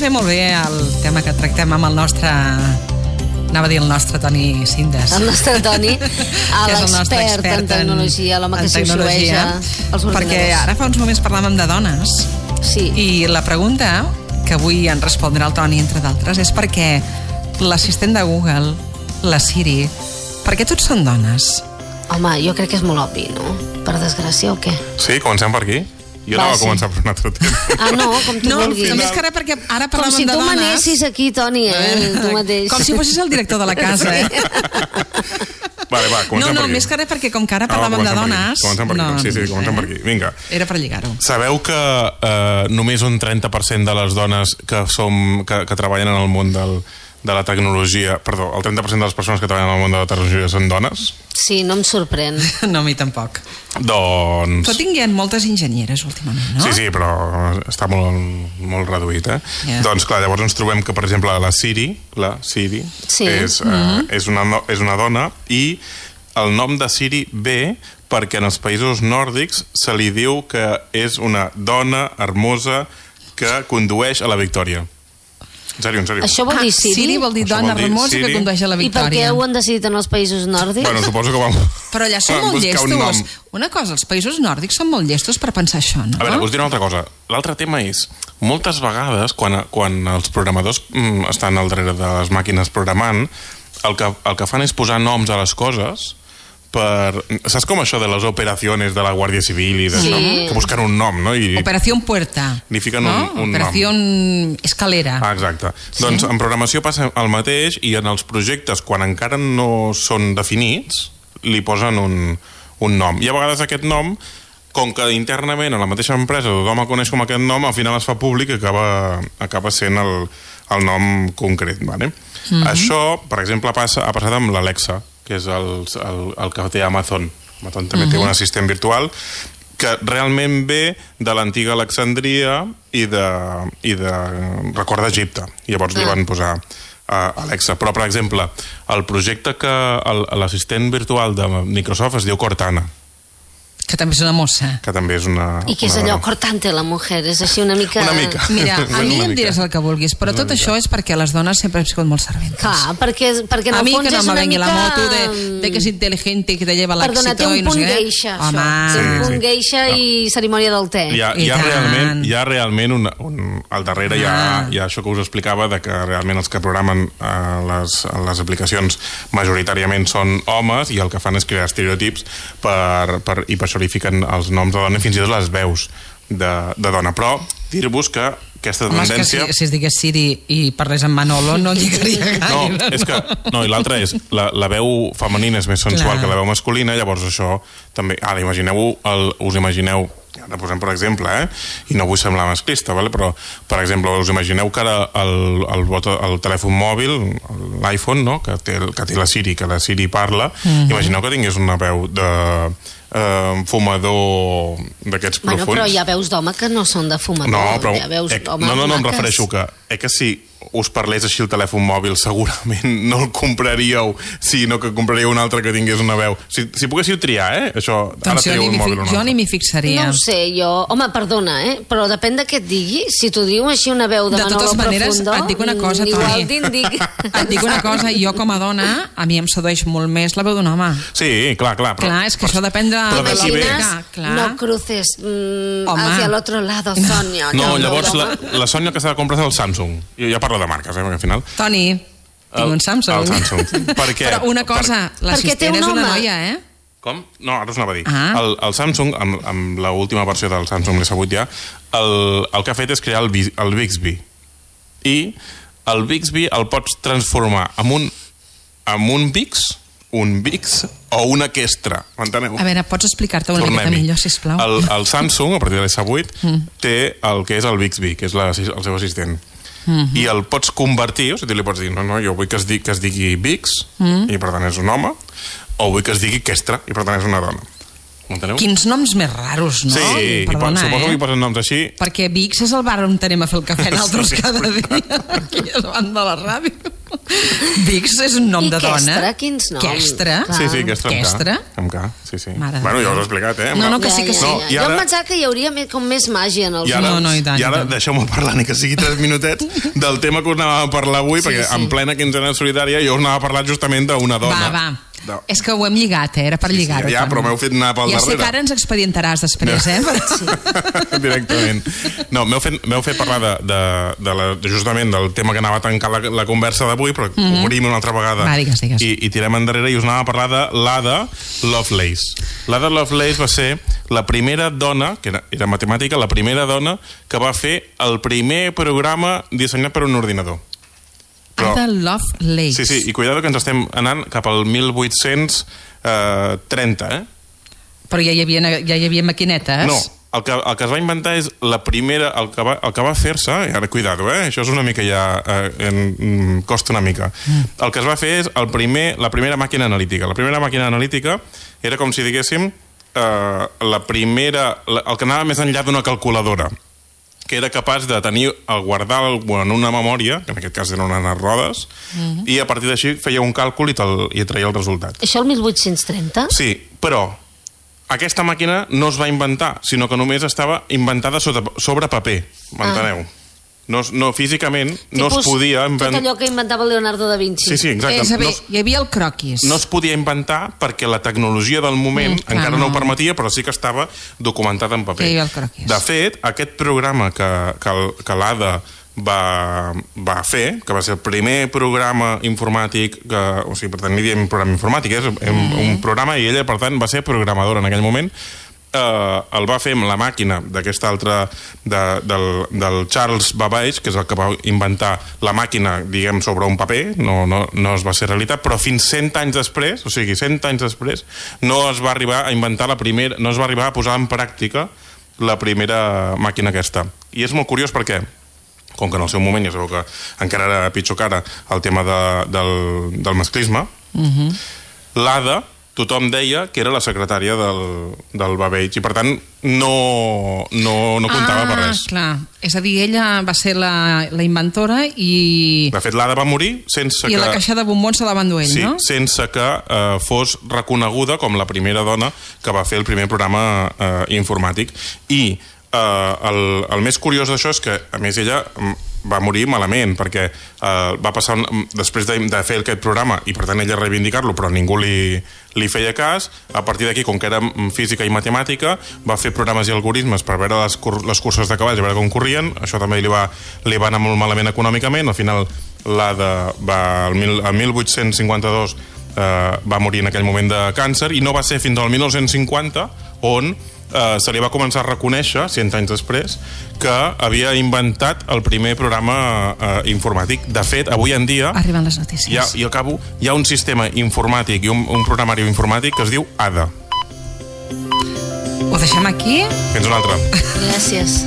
ve molt bé el tema que tractem amb el nostre... Anava a dir el nostre Toni Cindes. El nostre Toni, l'expert en tecnologia, l'home que s'influeja els ordinadors. Perquè ara fa uns moments parlàvem de dones. Sí. I la pregunta que avui en respondrà el Toni, entre d'altres, és perquè l'assistent de Google, la Siri, per què tots són dones? Home, jo crec que és molt obvi, no? Per desgràcia o què? Sí, comencem per aquí. Jo no va començar per un altre temps. Ah, no, com tu vulguis. No, més que ara, perquè ara parlàvem de dones... Com si tu manessis aquí, Toni, tu mateix. Com si fossis el director de la casa, Vale, va, comencem per aquí. No, més que ara, perquè com que ara parlàvem de dones... Comencem per aquí, sí, comencem per aquí. Vinga. Era per lligar-ho. Sabeu que només un 30% de les dones que treballen en el món de la tecnologia... Perdó, el 30% de les persones que treballen en el món de la tecnologia són dones? Sí, no em sorprèn. No, a mi tampoc. Doncs... Però tinguem moltes enginyeres últimament, no? Sí, però està molt reduït, Yeah. Doncs clar, llavors ens trobem que, per exemple, la Siri sí. és una dona i el nom de Siri ve perquè en els països nòrdics se li diu que és una dona hermosa que condueix a la victòria. En sèrio. Això vol dir Siri? Siri vol dir dona hermosa que condueix a la victòria. I per què ho han decidit en els països nòrdics? Bueno, suposo que Però allà són molt llestos. Una cosa, els països nòrdics són molt llestos per pensar això, no? A veure, us diré una altra cosa. L'altre tema és, moltes vegades, quan els programadors estan al darrere de les màquines programant, el que fan és posar noms a les coses saps com això de les operacions de la Guàrdia Civil i d'això? Que busquen un nom, no? Operació Puerta. Li fiquen un nom. Operació Escalera. Exacte. Doncs en programació passa el mateix i en els projectes, quan encara no són definits, li posen un nom. I a vegades aquest nom, com que internament a la mateixa empresa tothom el coneix com aquest nom, al final es fa públic i acaba sent el nom concret. Vale? Això, per exemple, ha passat amb l'Alexa, que és el que té Amazon. Amazon també té un assistent virtual que realment ve de l'antiga Alexandria i de record d'Egipte. Llavors li van posar Alexa. Però, per exemple, el projecte que l'assistent virtual de Microsoft es diu Cortana. Que també és una mossa. Que també és una... I que és allò, cortante la mujer, és així una mica... Una mica. Mira, a mi em diràs el que vulguis, però tot això és perquè les dones sempre hem sigut molt serventes. Clar, perquè en el fons és una mica... A mi que no me vengui la moto de que és intel·ligente i que te lleva l'èxito. Perdona, té un punt geisha, això. Té un punt geisha i cerimònia del te. Hi ha realment al darrere hi ha això que us explicava, de que realment els que programen les aplicacions majoritàriament són homes i el que fan és crear estereotips i per això li fiquen els noms de dona i fins i tot les veus de dona. Però dir-vos que aquesta tendència... Home, és que si es digués Siri i parlés amb Manolo no lligaria gaire. No, i l'altra és la veu femenina és més sensual que la veu masculina, llavors això també... Ara, us imagineu, ara posem per exemple, i no vull semblar masclista, però per exemple, us imagineu que ara el telèfon mòbil, l'iPhone, que té la Siri, que la Siri parla, imagineu que tingués una veu de fumador d'aquests profuns. Bueno, però hi ha veus d'home que no són de fumador. No, però em refereixo que si us parlés així el telèfon mòbil segurament no el compraríeu, sinó que compraríeu un altre que tingués una veu. Si poguéssiu triar, això, ara trieu un mòbil o no. Jo ni m'hi fixaria. No ho sé, home, perdona, però depèn de què et digui. Si t'ho diu així una veu de Manolo Profundo... De totes maneres, et dic una cosa, Toni. Et dic una cosa, jo com a dona, a mi em sedueix molt més la veu d'un home. Sí, clar. Clar, és que això depèn de... No cruces hacia el otro lado, Sònia. No, llavors la Sònia que s'ha de comprar és el Samsung. Jo ja parlo de marques, perquè al final... Toni, tinc un Samsung. El Samsung. Per què? Però una cosa, l'assistent és una noia, Com? No, ara us anava a dir. El Samsung, amb l'última versió del Samsung S8 ja, el que ha fet és crear el Bixby. I el Bixby el pots transformar en un Bix, un Bix o una Questra. M'enteneu? A veure, pots explicar-te una miqueta millor, sisplau? El Samsung, a partir de l'S8, té el que és el Bixby, que és el seu assistent. I el pots convertir, o sigui, li pots dir, no, jo vull que es digui Bix, i per tant és un home, o vull que es digui Questra, i per tant és una dona. M'enteneu? Quins noms més raros, no? Sí, perdona, suposo que hi posen noms així. Perquè Bix és el bar on anem a fer el cafè nosaltres cada dia, aquí davant de la ràdio. Vix és un nom de dona. I Questra, quins noms? Questra? Sí, Questra amb K. Sí. Bueno, ja us he explicat, No, que sí. Jo em pensava que hi hauria com més màgia en els noms. I ara deixeu-me parlar, ni que sigui 3 minutets, del tema que us anàvem a parlar avui, perquè en plena quinzena solidària jo us anava a parlar justament d'una dona. Va. És que ho hem lligat, era per lligar-ho. Ja, però m'heu fet anar pel darrere. Ja sé que ara ens expedientaràs després, Directament. No, m'heu fet parlar justament del tema que anava a tancar la conversa d'avui, però obrim una altra vegada i tirem endarrere, i us anava a parlar de l'Ada Lovelace. L'Ada Lovelace va ser la primera dona, que era matemàtica, la primera dona que va fer el primer programa dissenyat per un ordinador. Ada Lovelace. Sí, i cuidado que ens estem anant cap al 1830, Però ja hi havia maquinetes? No, el que es va inventar és la primera, el que va fer-se, i ara cuidado, això és una mica ja, costa una mica. El que es va fer és la primera màquina analítica. La primera màquina analítica era com si diguéssim el que anava més enllà d'una calculadora, que era capaç de guardar en una memòria, que en aquest cas eren unes rodes, i a partir d'així feia un càlcul i traia el resultat. Això el 1830? Sí, però aquesta màquina no es va inventar, sinó que només estava inventada sobre paper, m'enteneu? No, físicament no es podia inventar... Tot allò que inventava Leonardo da Vinci. Sí, exacte. És a dir, hi havia el croquis. No es podia inventar perquè la tecnologia del moment encara no ho permetia, però sí que estava documentada en paper. Hi havia el croquis. De fet, aquest programa que l'Ada va fer, que va ser el primer programa informàtic, o sigui, per tant, ni diem programa informàtic, és un programa, i ella, per tant, va ser programadora en aquell moment. El va fer amb la màquina d'aquesta altra del Charles Babbage, que és el que va inventar la màquina, diguem, sobre un paper, no es va ser realitat, però fins 100 anys després, o sigui, 100 anys després, no es va arribar a inventar no es va arribar a posar en pràctica la primera màquina aquesta. I és molt curiós perquè, com que en el seu moment ja sabeu que encara era pitjor que ara el tema del masclisme, l'Ada tothom deia que era la secretària del Babbage, i per tant no comptava per res. Clar, és a dir, ella va ser la inventora i... De fet, l'Ada va morir sense que... I la caixa de bombons se la va endur ell, no? Sí, sense que fos reconeguda com la primera dona que va fer el primer programa informàtic. I el més curiós d'això és que, a més, ella va morir malament, perquè va passar després de fer aquest programa, i per tant ella reivindicar-lo, però ningú li feia cas. A partir d'aquí, com que era física i matemàtica, va fer programes i algoritmes per veure les curses de cavalls, a veure com corrien. Això també li va anar molt malament econòmicament. Al final, l'Ada el 1852 va morir en aquell moment de càncer, i no va ser fins al 1950 on se li va començar a reconèixer, 100 anys després, que havia inventat el primer programa informàtic. De fet, avui en dia... Arriben les notícies. I acabo, hi ha un sistema informàtic i un programari informàtic que es diu Ada. Ho deixem aquí? Fins una altra. Gràcies.